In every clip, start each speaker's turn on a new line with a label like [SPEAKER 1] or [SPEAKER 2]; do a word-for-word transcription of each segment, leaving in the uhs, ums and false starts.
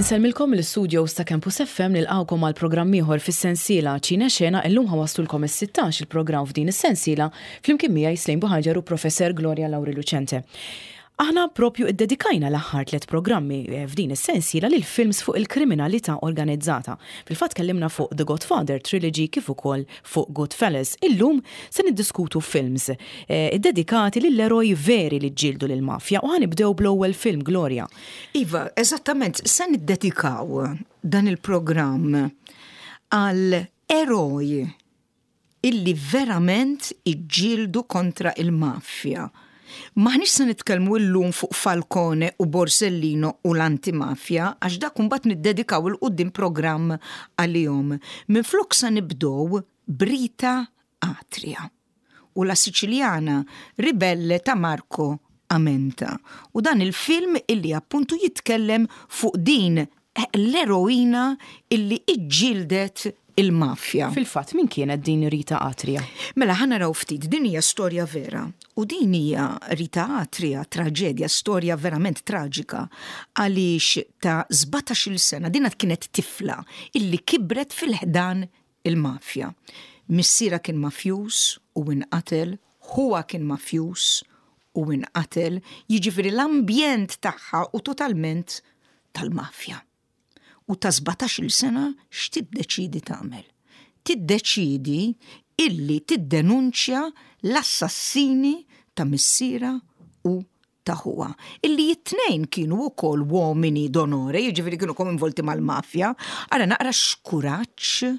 [SPEAKER 1] Insellmilkom l-studios ta' Campus F M, nilqgħukom għal programm ieħor fis-sensiela Ċine Xena. Illum ħa nwasslulkom is-sittax il-programm f'din is-sensiela flimkien miegħi Slejn Buħaġar u Professor Gloria Lauri Lucente. Aħna propju iddedikajna l-aħħar tliet programmi eh, f'din is-sensiela lil films fuq il-kriminalità organizzata. Fil-fatt kellimna fuq The Godfather Trilogy kif ukoll fuq Goodfellas. Illum se niddiskutu films eh, iddedikati lill-eroj veri li ġġieldu lill-mafja u ħa nibdew bl-ewwel film, Gloria.
[SPEAKER 2] Iva, eżattament, se niddedikaw dan il-programm għal eroj illi verament iġġieldu kontra il-mafja. M'aħniex se nitkellmu llum fuq Falcone u Borsellino u l-antimafja, għax dak mbagħad niddedikaw 'il quddiem programm għalihom. Minflok sa nibdew b'Rita Atria u La Siciliana Ribelle ta' Marco Amenta. U dan il-film illi appuntu jitkellem fuq din l-eroina illi iġġieldet il-mafja.
[SPEAKER 1] Fil-fatt, min kienet din Rita Atria?
[SPEAKER 2] Mela, ħa naraw ftit, din hija storja vera. U din hija Rita Atria, traġedja, storja verament traġika, għaliex ta' sbatax-il sena dina kienet tifla illi kibret fil-ħdan il-mafja. Missierha kien mafjuż u inqatel, ħuha kien mafjuż u inqatel, jiġifieri l-ambjent tagħha u totalment tal-mafja. U ta' sbatax-il sena x'tiddeċidi tagħmel? Tiddeċidi illi tiddenunċja l-assassini ta' missierha u ta' ħuha. Illi it-tnejn kienu wkoll uomini d'onore, jiġifieri kienu involti mal-mafja. Ara naqra x'kuraġġ,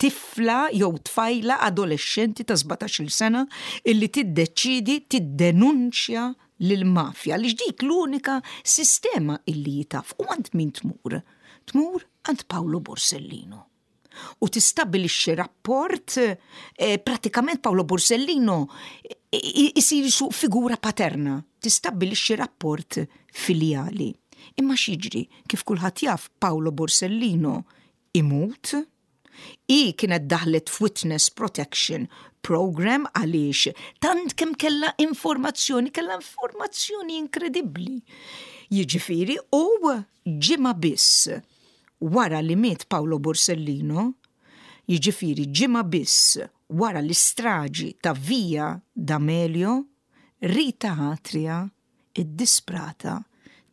[SPEAKER 2] tifla jew tfajla adolescenti ta' sbatax-il sena illi tiddeċidi tiddenunċja lill-mafja li dik l-unika sistema illi taf. U għand min tmur? Tmur għand Paolo Borsellino. U tistabilixxi rapport, eh, pratikament Paolo Borsellino isir su figura paterna, tistabbilixxi rapport filjali. Imma x'jiġri? Kif kulħadd jaf, Paolo Borsellino imut, i kienet daħlet f'Witness Protection Program għaliex tant kemm kella informazzjoni, kella informazzjoni inkredibbli. Jiġifieri, u ġimgħa biss wara li miet Paolo Borsellino, jiġifieri ġimgħa biss wara l-istraġi ta' Via D'Amelio, Rita Atria, id-disprata,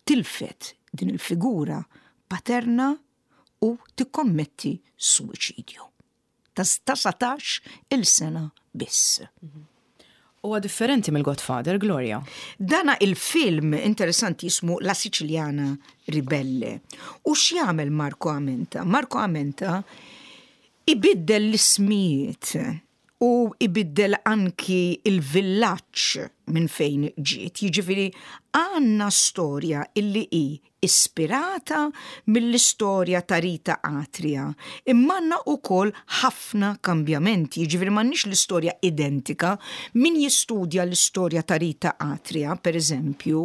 [SPEAKER 2] tilfet din il-figura paterna u tikkommetti suwiċidju. Ta' sbatax il-sena biss.
[SPEAKER 1] Huwa differenti mill-Godfather, Gloria.
[SPEAKER 2] Dana il-film interessanti jismu La Siciliana Ribelle. U x'jagħmel Marco Amenta? Marco Amenta ibiddel l-ismijiet u ibiddel anki il-villaġġ minn fejn ġiet. Jiġifieri għandna storja illi hi ispirata mill-istorja ta' Rita Atria. Imma għandna wkoll ħafna kambjamenti, jiġifieri m'għandniex l-istorja identika. Min jistudja l-istorja ta' Rita Atria, per eżempju,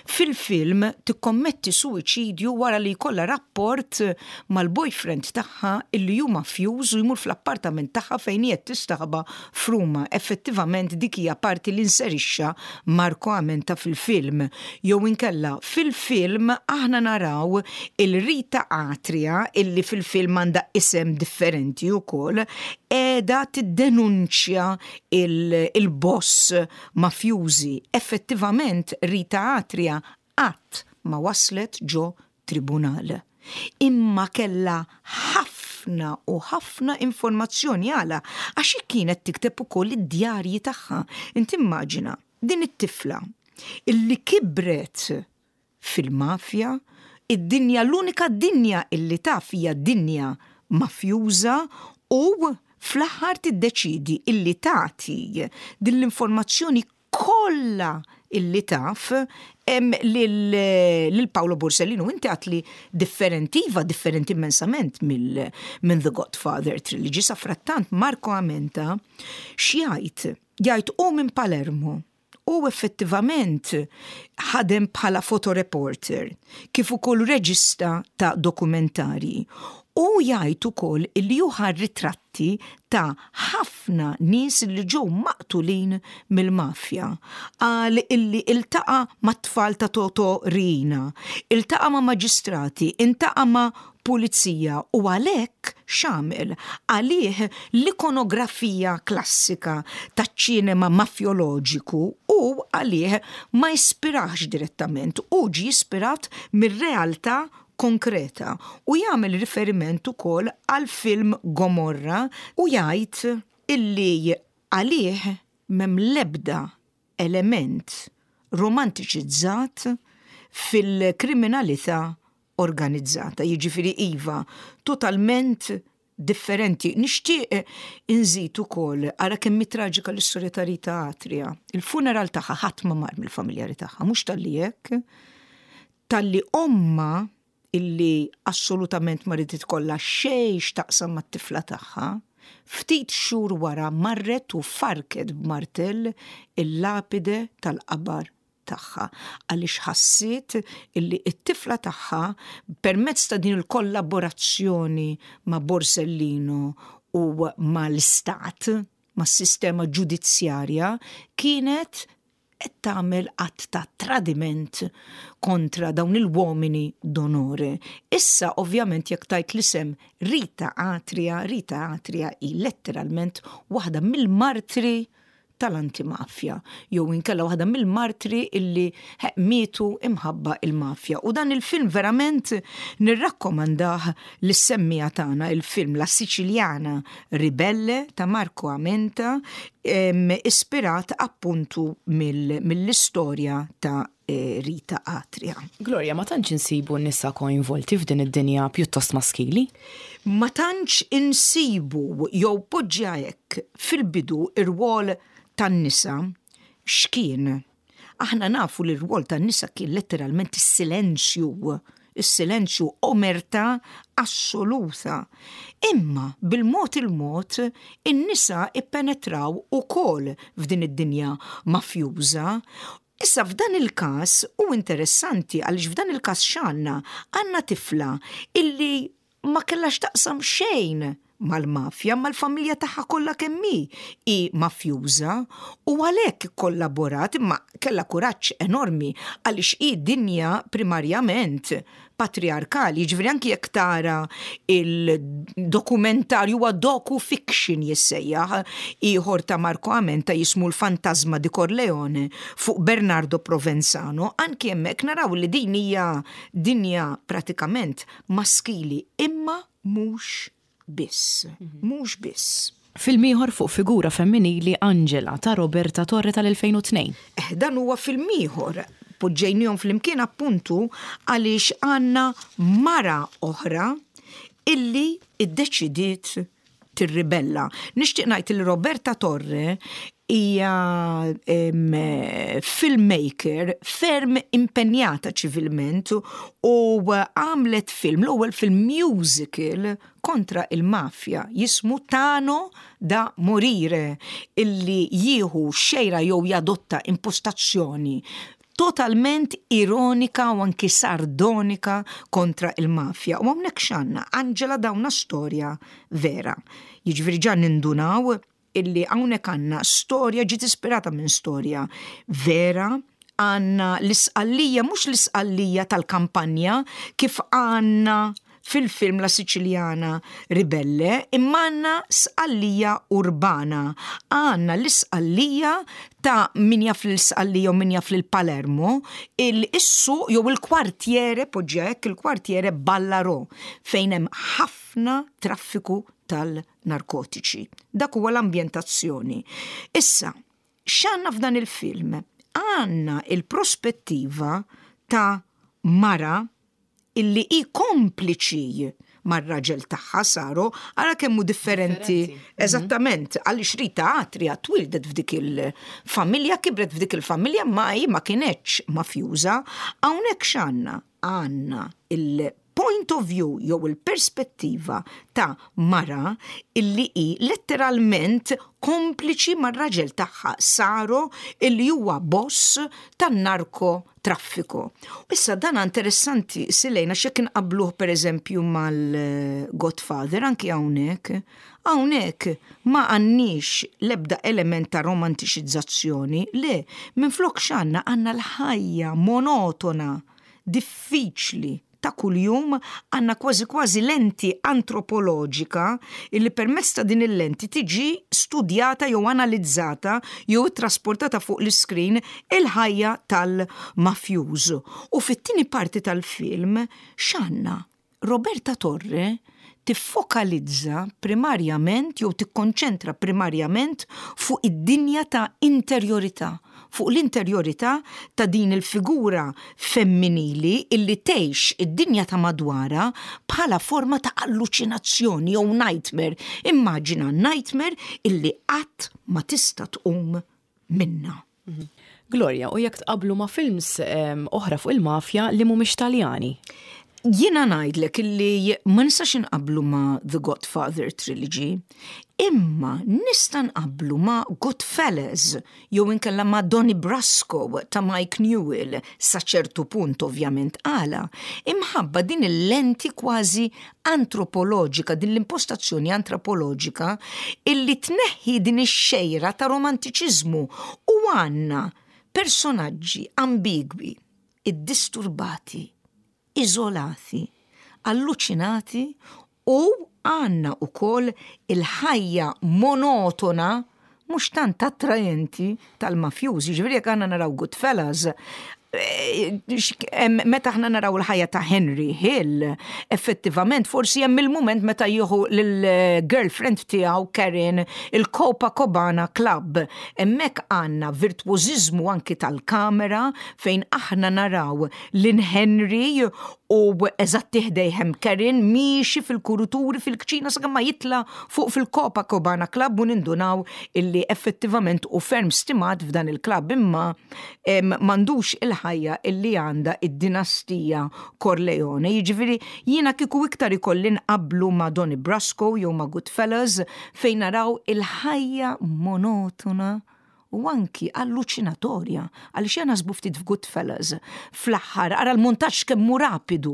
[SPEAKER 2] fil-film tikkommetti suwiċidju wara li jkollha rapport mal-boyfriend tagħha illi hu mafjuż u jmur fl-appartament tagħha fejn qed tistaħba f'Ruma. Effettivament dik hija parti li inserixxa Marco Amenta fil-film. Jew inkella fil-film aħna naraw il-Rita Atria, illi fil-film għandha isem differenti wkoll, qiegħda tiddenunċja il-boss mafjużi. Effettivament Rita Atria qatt ma waslet ġo tribunal. Imma kella ħafna u ħafna informazzjoni. Għala? Għax kienet tikteb ukoll id-djarji tagħha. Inti immaġina din it-tifla illi kibret fil-mafja, id-dinja, l-unika dinja illi taf hija dinja mafjuża, u fl-aħħar tiddeċidi illi tagħti din l-informazzjoni kollha illi taf lil Paolo Borsellino. Inti għedt li differenti, iva, differenti immensament minn The Godfather Trilogy. Sa frattant Marco Amenta x'jgħid? Jgħid u minn Palermo u effettivament ħadem bħala fotoreporter kif ukoll reġista ta' dokumentari. U jgħid ukoll illi hu ħa ritratti ta' ħafna nies li ġew maqtulin mill-mafja. Qal illi iltaqa' mat-tfal ta' Toto Riina, iltaqa' ma' maġistrati, iltaqa' ma' pulizija u għalhekk x'għamel? Għalih l-ikonografija klassika taċ-ċinema mafjoloġiku u għalih ma jispirax direttament u ġi ispirat mir-realtà konkreta u jagħmel riferiment ukoll għal film Gomorra u jgħid illi għalih m'hemm l-ebda element romantiċizzat fil-kriminalità organizzata. Jiġifieri iva, totalment differenti. Nixtieq inżid ukoll ara kemm traġika l-istorja ta' Rita Atria. Il-funeral tagħha ħadd ma mar mill-familjari tagħha, mhux talli hekk, talli ommha illi assolutament ma ridet ikollha xejn x'taqsam mat-tifla tagħha, ftit xhur wara marret u farket b'martell il-lapide tal-qabar tagħha għaliex ħassiet illi it-tifla tagħha permezz ta' din il-kollaborazzjoni ma' Borsellino u mal-istat, mas-sistema ġudizzjarja, kienet qed tagħmel att ta' tradiment kontra dawn il-uomini d'onore. Issa ovvjament jekk tajt l-isem Rita Atria, Rita Atria hi letteralment waħda mill-martri tal-antimafja, jew inkella waħda mill-martri illi mietu imħabba il-mafja. U dan il-film verament nirrakkomandah lis-semmiegħa tagħna, il-film La Siciliana Ribelle ta' Marco Amenta, ispirat appuntu mill-istorja ta' Rita Atria.
[SPEAKER 1] Gloria, ma tantx insibu n-nisa koinvolti f'din id-dinja pjuttost maskili?
[SPEAKER 2] Ma tantx insibu jew poġġja hekk fil-bidu ir-rwol tan-nisa x'kien. Aħna nafu li r-rwol tan-nisa kien letteralment is-silenzju, is-silenzju, omerta assoluta. Imma bil-mod il-mod in-nisa ippenetraw ukoll f'din id-dinja mafjuża. Issa f'dan il-każ u interessanti għaliex f'dan il-każ x'għandna? Għandna tifla illi ma kellax taqsam xejn mal-mafja, mal-familja tagħha kollha kemm hi hi mafjuża u għalhekk kollaborat imma kellha kuraġġ enormi għaliex hi dinja primarjament patriarkali, jiġifieri anki jekk tara il-dokumentarju huwa docu-fiction jissejjaħ ieħor ta' Marco Amenta jismu l-Fantasma di Corleone fuq Bernardo Provenzano, anki hemmhekk naraw li din hija dinja pratikament maskili imma mhux biss, mhux biss.
[SPEAKER 1] Film ieħor fuq figura femminili Angela ta' Roberta Torre tal-elfejn u tnejn.
[SPEAKER 2] Eh, dan huwa film ieħor. Poġġejnihom flimkien appuntu għaliex għandna mara oħra illi iddeċidiet tirribella. Nixtieq ngħid li Roberta Torre hija, em, filmmaker ferm impenjata ċivilment u għamlet film, l-ewwel film musical kontra il-mafja jismu Tano da Morire, illi jieħu xejra jew jadotta impostazzjoni totalment ironika u anki sardonika kontra il-mafja. U hawnhekk x'għandna? Angela dawna storja vera. Jiġifieri ġa nindunaw illi hawnhekk għandna storja ġiet ispirata minn storja vera, għandna l-isqallija, mhux l-isqallija tal-kampanja kif għandna fil-film La Siciliana Ribelle, imma għandna sqallija urbana. Għandna l-isqallija ta' min jaf l-isqallija u min jaf l-Palermo, il-issu jew il-kwartiere, poġġa hekk, il-kwartiere Ballarò, fejn hemm ħafna traffiku tal-narkotiċi. Dak huwa l-ambjentazzjoni. Issa, x'għandna f'dan il-film? Għandna il-prospettiva ta' mara illi hi kompliċi mar-raġel tagħha Saro, ara kemm hu differenti.
[SPEAKER 1] Differenti.
[SPEAKER 2] Eżattament, għaliex Rita Atria twildet f'dik il-familja, kibret f'dik il-familja, ma hi ma kienetx mafjuża. Hawnhekk x'għandna? Għandna il-post il-point of view jew il-perspettiva ta' mara illi hi letteralment kompliċi mar-raġel tagħha Saro, illi huwa boss tan-narko traffiku. Issa dan interessanti silejna xek nqabluh, per eżempju, mal-Godfather. Anki hawnhekk. Hawnhekk ma għandniex lebda element ta' romantiċizzazzjoni, le, minn flok x'għandna? Għandna l-ħajja monotona, diffiċli ta' kuljum, għandna kważi kważi lenti antropoloġika illi permezz ta' din il-lenti tiġi studjata jew analizzata jew trasportata fuq l-iskrin il-ħajja tal-mafjuż. U fit-tieni parti tal-film x'għandna? Roberta Torre tiffokalizza primarjament jew tikkonċentra primarjament fuq id-dinja ta' interjorità, fuq l-interjorità ta' din il-figura femminili illi tgħix id-dinja ta' madwara bħala forma ta' alluċinazzjoni jew nightmare. Immaġina nightmare illi qatt ma tista' tqum minna.
[SPEAKER 1] Gloria, u jekk tqablu ma' films oħra fuq il-mafja li mhumiex Taljani?
[SPEAKER 2] Jiena ngħidlek illi ma nistax inqablu ma' The Godfather Trilogy, imma nista' nqablu ma' Goodfellas jew inkella ma' Donnie Brasco ta' Mike Newell sa ċertu punt, ovvjament. Għala? Imħabba din il-lenti kważi antropoloġika, din l-impostazzjoni antropoloġika illi tneħħi din ix-xejra ta' romantiċiżmu u għandna personaġġi ambigwi, iddisturbati, iżolati, alluċinati u għandna ukoll il-ħajja monotona mhux tant attrajenti tal-mafjużi. Ġifieri jekk għandna naraw Goodfellas, eh, meta aħna naraw il-ħajja ta' Henry Hill, effettivament forsi hemm il-moment meta jieħu lill-girlfriend tiegħu Karen il-Copacabana Club. Hemmhekk għandna virtuożiżmu anki tal-kamera fejn aħna naraw lil Henry u eżatti ħdejh Karen miexi fil-kuruturi fil-kċina sakemm ma jitla fuq fil-Copacabana Club u nindunaw illi effettivament u ferm stimat f'dan il-club, imma m'għandux il-ħajja illi għandha id-dinastija Corleone. Jiġifieri jiena kieku iktar ikolli nqablu ma' Donnie Brasco jew ma' Goodfellas, fejn naraw il-ħajja monotona u anki alluċinatorja, għaliex jena naħsbu ftit f'Goodfellas. Fl-aħħar, ara l-montaġġ kemm hu rapidu,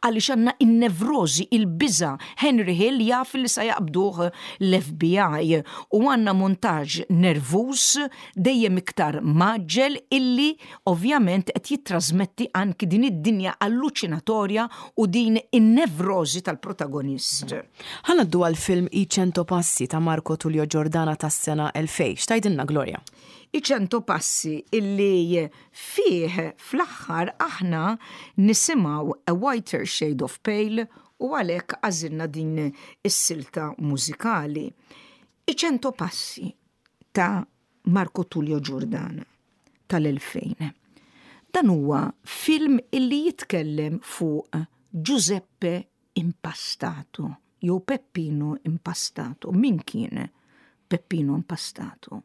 [SPEAKER 2] għaliex għandna in-nevrozi, il-biża, Henry Hill jaf li sa jaqbduh l-F B I u għandna montaġġ nervus dejjem iktar mgħaġġel illi ovvjament qed jittrasmetti anki din id-dinja alluċinatorja u din in-nevrozi tal-protagonist.
[SPEAKER 1] Ħa ngħaddu għal-film I Cento Passi ta' Marco Tullio Giordana tas-sena elfejn. X'tgħidilna, Gloria?
[SPEAKER 2] I Cento Passi, illi fih fl-aħħar aħna nisimgħu A Whiter Shade of Pale u għalhekk għażilna din is-silta mużikali. I Cento Passi ta' Marco Tullio Giordana tal-elfejn. Dan huwa film illi jitkellem fuq Giuseppe Impastato jew Peppino Impastato. Min kien Peppino Impastato?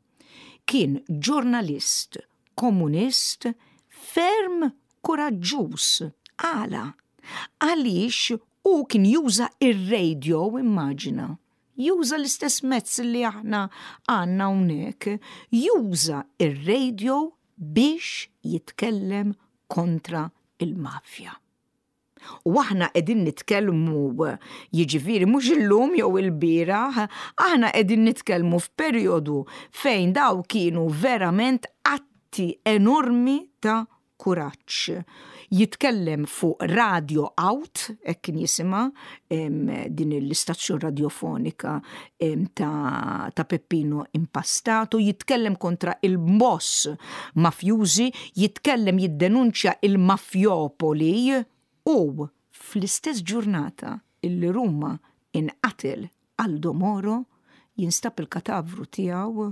[SPEAKER 2] Kien ġurnalist komunist ferm kuraġġuż. Għala? Għaliex u kien juża ir-radio, immaġina. Juża l-istess mezz li aħna għandna hawnhekk, juża ir-radio biex jitkellem kontra il-mafja. U aħna qegħdin nitkellmu, jiġifieri mhux illum jew il-bieraħ, aħna qegħdin nitkellmu f'perjodu fejn daw kienu verament atti enormi ta' kuraġġ. Jitkellem fuq Radio Out, hekk kien jisimha din l-istazzjon radiofonika ta', ta Peppino Impastato, jitkellem kontra il-boss mafjużi, jitkellem, jiddenunċja il-mafjopoli u fl-istess ġurnata illi Ruma inqatel Aldo Moro, jinstab il-katavru tiegħu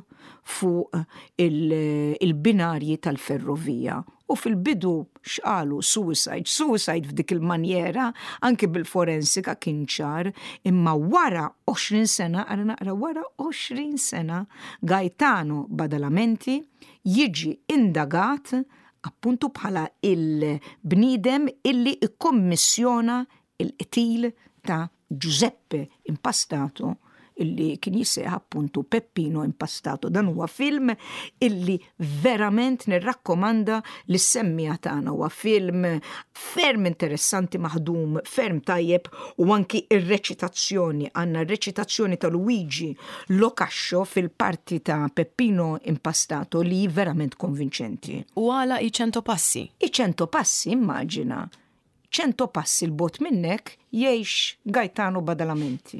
[SPEAKER 2] fuq il-binarji tal-ferrovija. U fil-bidu x'qalu? Suicide, suicide f'dik il-manjera, anki bil-forensika kien ċar, imma wara għoxrin sena, għara naqra, wara għoxrin sena, Gaetano Badalamenti jiġi indagat appuntu bħala il-bnidem illi ikkommissjona Il-qtil ta' Giuseppe Impastato, illi kien jissejjaħ appuntu Peppino Impastato. Dan huwa film illi verament nirrakkomanda lis-semmiegħa tagħna. Huwa film ferm interessanti, maħdum ferm tajjeb, u anki ir-reċitazzjoni, għandna r-reċitazzjoni ta' Luigi Lo Cascio fil-parti ta' Peppino Impastato li verament konvinċenti.
[SPEAKER 1] U għala I Cento Passi?
[SPEAKER 2] I Cento Passi, immaġina, ċento passi 'l bogħod minnek jgħix Gaetano Badalamenti.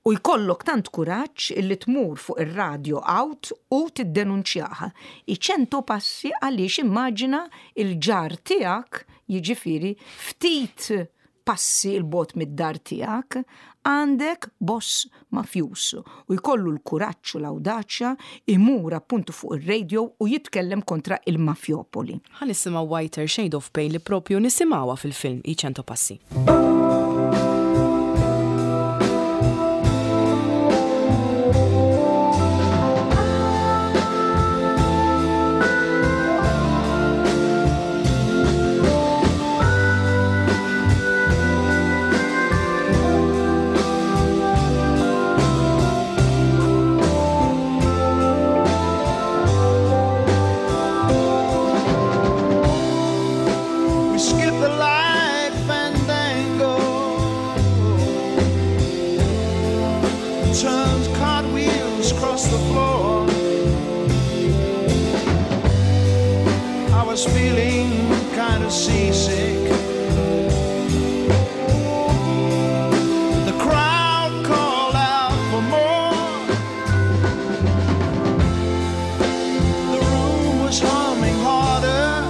[SPEAKER 2] U jkollok tant kuraġġ illi tmur fuq ir-radio out u tiddenunċjaha. I Cento Passi għaliex immaġina il-ġar tiegħek, jiġifieri ftit passi 'l bogħod mid-dar tiegħek, għandek boss mafjus u jkollu l-kuraġġ u l-awdaċja imur appuntu fuq ir-radio u jitkellem kontra il-mafjopoli.
[SPEAKER 1] Ħa nisimgħu Whiter Shade of Pale li propju nisimgħuha fil-film I Cento Passi.
[SPEAKER 3] We skip the light fandango, turned cartwheels across the floor. I was feeling kind of seasick. The crowd called out for more. The room was humming harder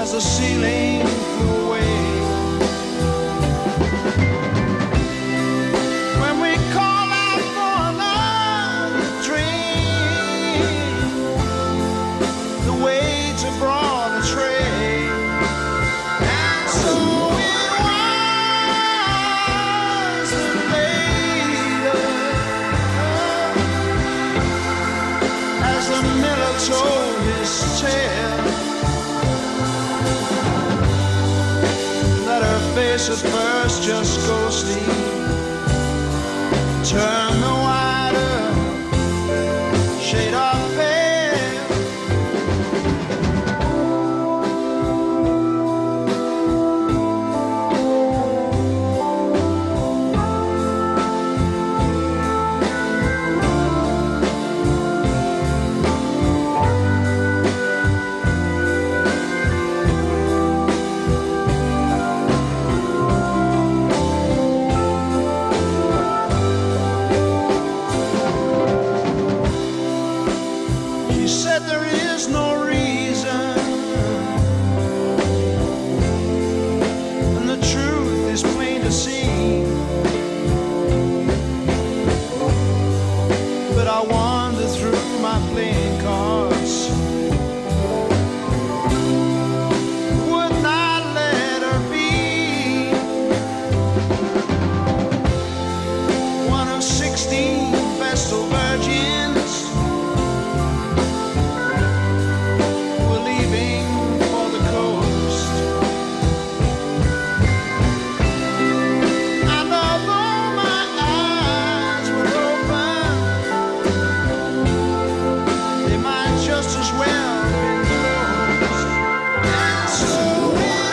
[SPEAKER 3] as the ceiling flew away. When we call out for another drink, the waiter brought a tray, and so it was that later, as the miller told his tale, that her face at first just ghostly turned the whiter shade of pale. She said there is no reason, and the truth is plain to see. But I wander through my playing cards, would not let her be one of sixteen Vestal virgins were leaving for the coast. And although my eyes were open, they might just as well have been closed. And so it was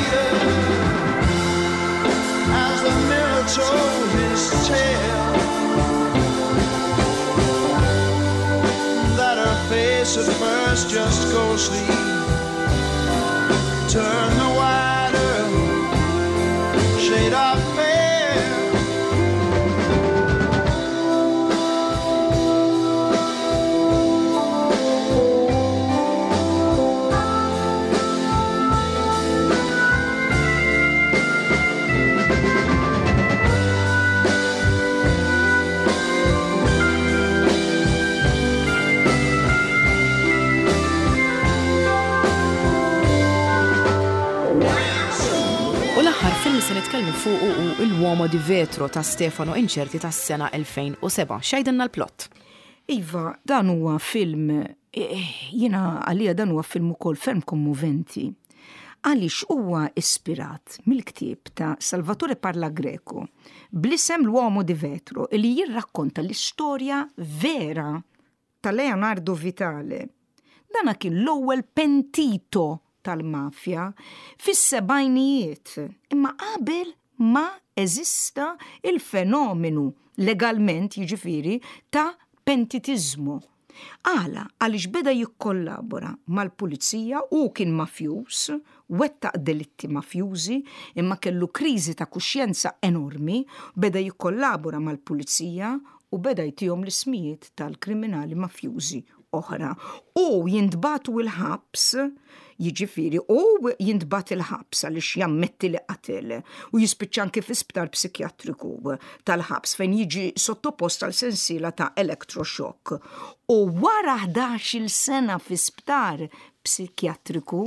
[SPEAKER 3] later, as the miller told his tale, that her face at first just ghostly turned the whiter shade of pale.
[SPEAKER 1] U l-aħħar film se nitkellmu fuq hu L'Uomo di Vetro ta' Stefano Incerti tas-sena elfejn u sebgħa. X'jgħidilna l-plot?
[SPEAKER 2] Iva, dan huwa film, eh, jiena għalija dan huwa film ukoll ferm kommoventi. Għaliex huwa ispirat mill-ktieb ta' Salvatore Parlagreco bl-isem L'Uomo di Vetro, li jirrakkonta l-istorja vera ta' Leonardo Vitale. Dana kien l-ewwel pentito tal-mafja fis-sebgħinijiet, imma qabel ma eżista il-fenomenu legalment, jiġifieri, ta' pentitizmu. Għala? Għaliex beda jikkollabora mal-pulizija u kien mafjus, wettaq delitti mafjużi, imma kellu kriżi ta' kuxjenza enormi, beda jikkollabora mal-pulizija u beda jtihom l-ismijiet tal-kriminali mafjużi oħra. U jintbagħtu il-ħabs, jiġifieri, u jintbagħat il-ħabs għaliex jammetti li qatel u jispiċċa anke fi sptar psikjatriku tal-ħabs fejn jiġi sottopost għal sensiela ta' electroshock. U wara ħdax-il sena fi sptar psikjatriku,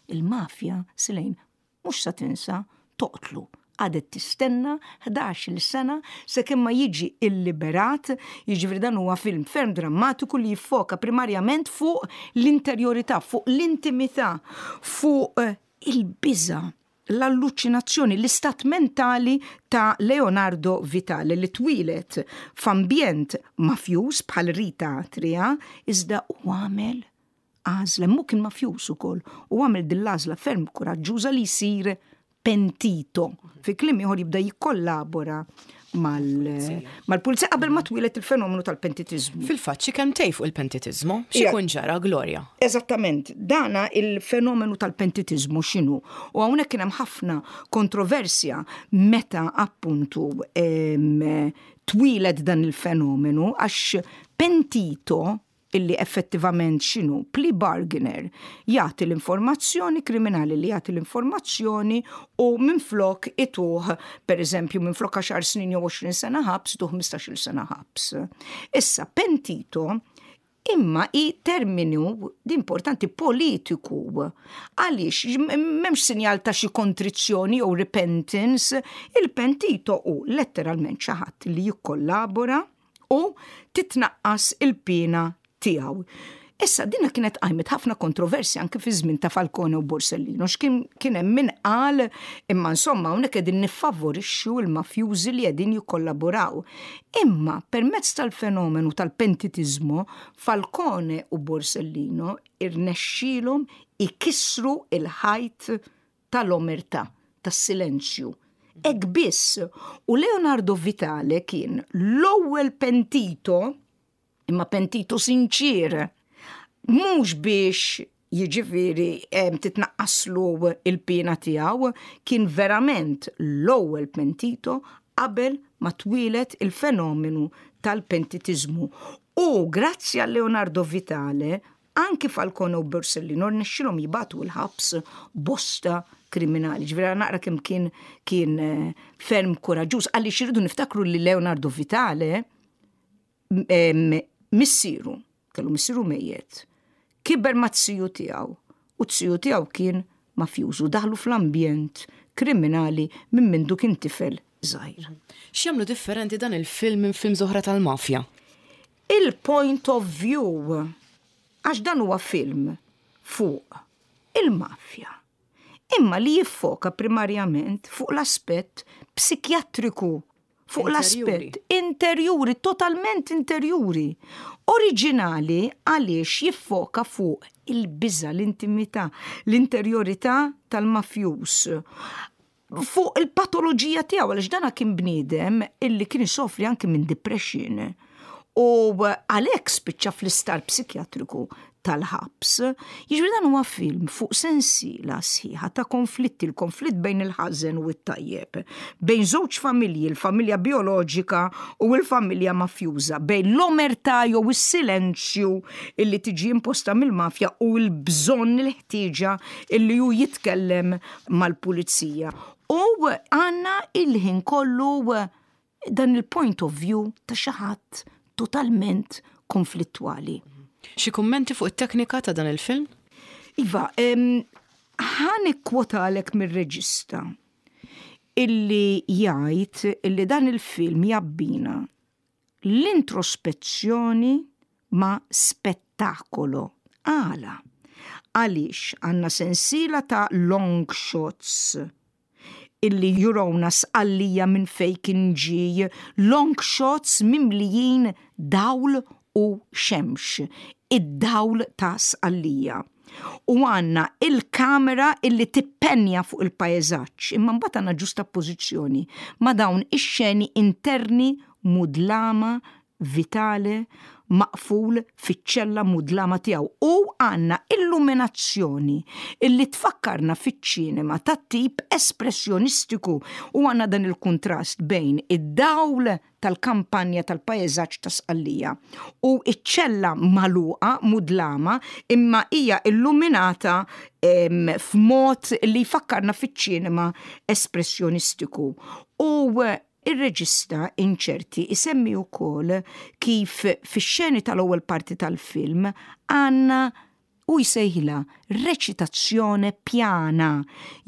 [SPEAKER 2] il-mafja, Silejn, mhux sa tinsa toqtlu. Għadet tistenna ħdax-il sena sakemm ma jiġi illiberat. Jiġifieri dan huwa film ferm drammatiku li jiffoka primarjament fuq l-interjorità, fuq l-intimità, fuq eh, il-biża, l-alluċinazzjoni, l-istat mentali ta' Leonardo Vitale, li twieled f'ambjent mafjuż bħal Rita Atria, iżda u għamel għażla, mu kien mafjuż ukoll, u għamel din l-għażla ferm kuraġġuża li jsir pentito. Fi kliem ieħor, jibda jikkollabora mal-pulizija qabel ma twieled il-fenomenu tal-pentitizmu.
[SPEAKER 1] Fil-fatt, xi kelmtejn fuq il-pentitizmu, x'ikun ġara, Gloria?
[SPEAKER 2] Eżattament, dana il-fenomenu tal-pentitizmu x'inhu? U hawnhekk kien hemm ħafna kontroversja meta appuntu twieled dan il-fenomenu, għax pentito, illi effettivament x'inhu? Plea bargainer, jagħti l-informazzjoni kriminali, li jagħti l-informazzjoni u minflok ituh, per eżempju, minflok għaxar snin jew għoxrin sena ħabs, ituh ħmistax-il sena ħabs. Issa, pentito imma i terminu di importanti politiku, għaliex m'hemmx sinjal ta' xi kontrizzjoni jew repentance. Il-pentito hu letteralment xi ħadd li jikkollabora u titnaqqas il-pena tiegħu. Issa, dina kienet qajmet ħafna kontroversja anke fi żmien ta' Falcone u Borsellino, x'kien kien hemm min qal, imma insomma, hawnhekk qegħdin niffavorixxu l-mafjużi li qegħdin jikkollaboraw. Imma permezz tal-fenomenu tal-pentitizmu, Falcone u Borsellino irnexxielhom ikissru il-ħajt tal-omerta, tas-silenzju. Hekk biss, u Leonardo Vitale kien l-ewwel pentito, imma pentito sinċir, mhux biex, jiġifieri, titnaqqaslu il-pena tiegħu, kien verament l-ewwel pentito qabel ma twieled il-fenomenu tal-pentitizmu. U grazzi għal Leonardo Vitale, anki Falcone u Borsellino rnexxilhom jibagħtu l-ħabs bosta kriminali. Ġifieri naqra kemm kien kien eh, ferm kuraġġuż, għaliex irridu niftakru li Leonardo Vitale missieru, kellu missieru mejjet, kiber ma' ziju tiegħu u z-ziju tiegħu kien mafjużu, daħlu fl-ambjent kriminali minn mindu kien tifel żgħir.
[SPEAKER 1] X'jagħmlu differenti dan il-film minn film oħra tal-mafja?
[SPEAKER 2] Il-point of view, għax dan huwa film fuq il-mafja, imma li jiffoka primarjament fuq l-aspett psikjatriku, fuq l-aspett interjuri, totalment interjuri. Oriġinali għaliex jiffoka fuq il-biża, l-intimità, l-interjorità tal-mafjus, fuq il-patoloġija tiegħu, għaliex dana kien bniedem illi kien isofri anke minn depression. U għalhekk spiċċa fl-isptar psikjatriku tal-ħabs. Jiġifieri dan huwa film fuq sensiela sħiħa ta' konflitti, il-konflitt bejn il-ħażen u t-tajjeb, bejn żewġ familji, il-familja bioloġika u l-familja mafjuża, bejn l-omerta jew is-silenzju illi tiġi imposta mill-mafja u l-bżonn, il-ħtieġa illi hu jitkellem mal-pulizija. U għandna il-ħin kollu dan il-point of view ta' xi ħadd totalment konflittwali.
[SPEAKER 1] Xi kummenti fuq it-teknika ta' dan il-film?
[SPEAKER 2] Iva, ħa nikkwotalek mir-reġista illi jgħid illi dan il-film jabbina l-introspezzjoni. Ma spettacolo. Għala? Għaliex għandna sensiela ta' long shots illi juruna Sqallija minn fejn kien ġie, long shots mimlijin dawl u xemx, id-dawl ta' Sqallija. U għandna il-kamera illi tippenja fuq il-pajzaġġ, imma mbagħad għandna ġustappożizzjoni ma' dawn ix-xeni interni mudlama, Vitale maqful fiċ-ċella mudlama tiegħu, u għandna illuminazzjoni illi tfakkarna fiċ-ċinema tat-tip espressjonistiku u għandna dan il-kontrast bejn id-dawl tal-kampanja, tal-pajzaġġ ta' Sqallija u iċ-ċella magħluqa mudlama imma hija illuminata f'mod li jfakkarna fiċ-ċinema espressjonistiku. U ir-reġista Incerti isemmi wkoll kif fix-xeni tal-ewwel parti tal-film għandna, u jsejħilha, reċitazzjoni pjana,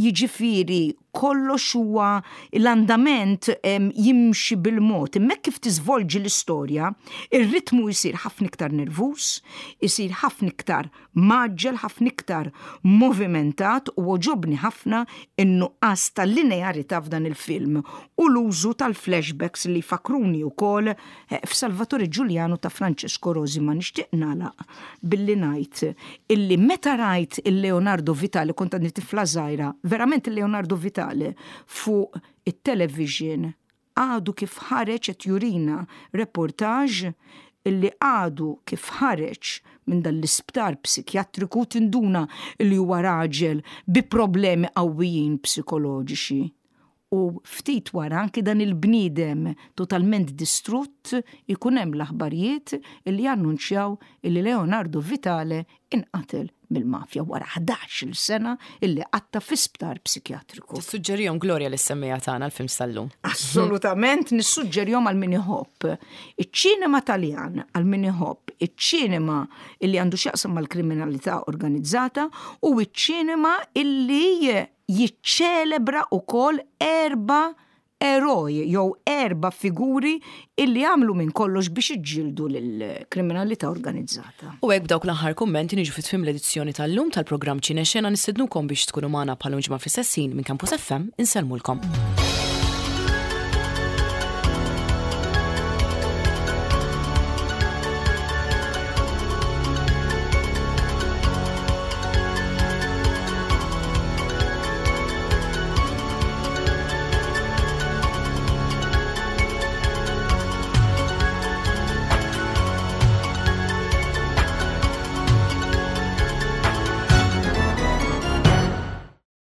[SPEAKER 2] jiġifieri kollox huwa l-andament jimxi bil-mod. Imma kif tiżvolġi l-istorja, ir-ritmu jsir ħafna iktar nervus, isir ħafna iktar mgħaġġel, ħafna iktar movimentat u għoġobni ħafna in-nuqqas tal-linearità f'dan il-film u l-użu tal-flashbacks li fakruni wkoll eh, f'Salvatore Giuliano ta' Francesco Rosi. Ma nixtieq nagħlaq billi ngħid illi meta rajt il-Leonardo Vitale, kont għadni tifla żgħira, verament, il-Leonardo Vitale fuq it-television għadu kif ħareġ, qed jurina reportage illi għadu kif ħareġ minn dan l-isptar psikjatriku, tinduna illi huwa raġel bi problemi qawwijin psikoloġiċi. U ftit wara anki dan il-bniedem totalment distrutt ikun hemm l-aħbarijiet illi jannunċjaw illi Leonardo Vitale inqatel mill-mafja wara ħdax-il sena illi qatta fi sptar psikjatriku.
[SPEAKER 1] Tissuġġerihom, Gloria, lis-semmiegħa tagħna l-film sal-lum?
[SPEAKER 2] Assolutament nissuġġerihom għal min iħobb iċ-ċinema Taljan, għal min iħobb iċ-ċinema illi għandu x'jaqsam mal-kriminalità organizzata u iċ-ċinema illi jiċċelebra ukoll erba' eroj jew erba' figuri illi għamlu minn kollox biex iġġieldu lill-kriminalità organizzata.
[SPEAKER 1] U hekk, b'dawk l-aħħar kummenti, niġu fi tmiem l-edizzjoni tal-lum tal-programm Ċinexena. Nistednukom biex tkunu magħna bħal ġimgħa fl-istess ħin minn Campus F M. Insellmulkom.